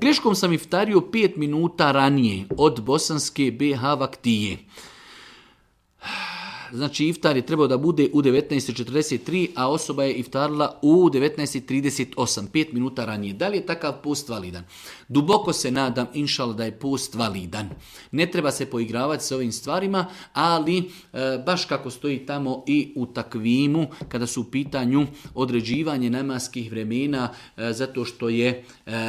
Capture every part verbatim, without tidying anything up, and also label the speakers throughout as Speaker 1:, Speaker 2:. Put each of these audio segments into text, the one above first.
Speaker 1: Greškom sam iftario pet minuta ranije od bosanske B H vaktije. Znači iftar je trebao da bude u devetnaest četrdeset tri, a osoba je iftarila u devetnaest trideset osam, pet minuta ranije. Da li je takav post validan? Duboko se nadam, inšal, da je post validan. Ne treba se poigravati s ovim stvarima, ali e, baš kako stoji tamo i u takvimu, kada su u pitanju određivanje namaskih vremena, e, zato što je e,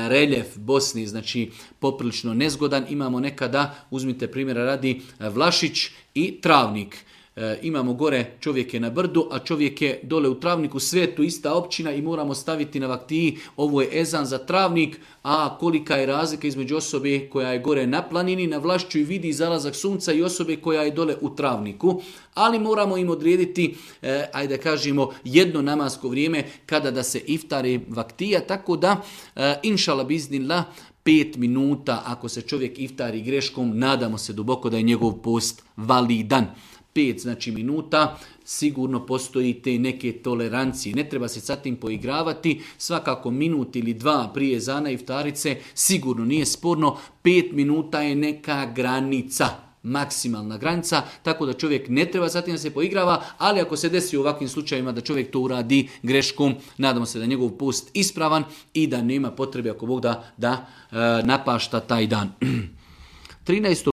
Speaker 1: reljef Bosni, znači poprilično nezgodan, imamo nekada, uzmite primjera radi, Vlašić i Travnik. E, imamo gore čovjek je na brdu, a čovjek je dole u Travniku, sve je tu ista općina i moramo staviti na vaktiji, ovo je ezan za Travnik, a kolika je razlika između osobe koja je gore na planini, na Vlašću i vidi zalazak sunca i osobe koja je dole u Travniku, ali moramo im odrediti, e, ajde da kažemo, jedno namasko vrijeme kada da se iftari vaktija, tako da, e, inšala biznillah, pet minuta, ako se čovjek iftari greškom, nadamo se duboko da je njegov post validan. Pet znači minuta, sigurno postoji te neke tolerancije. Ne treba se sa tim poigravati, svakako minut ili dva prije zana iftarice, sigurno nije sporno, pet minuta je neka granica, maksimalna granica, tako da čovjek ne treba sa tim da se poigrava, ali ako se desi u ovakvim slučajevima da čovjek to uradi greškom, nadamo se da je njegov post ispravan i da nema potrebe ako Bog da, da e, napašta taj dan. trinaesto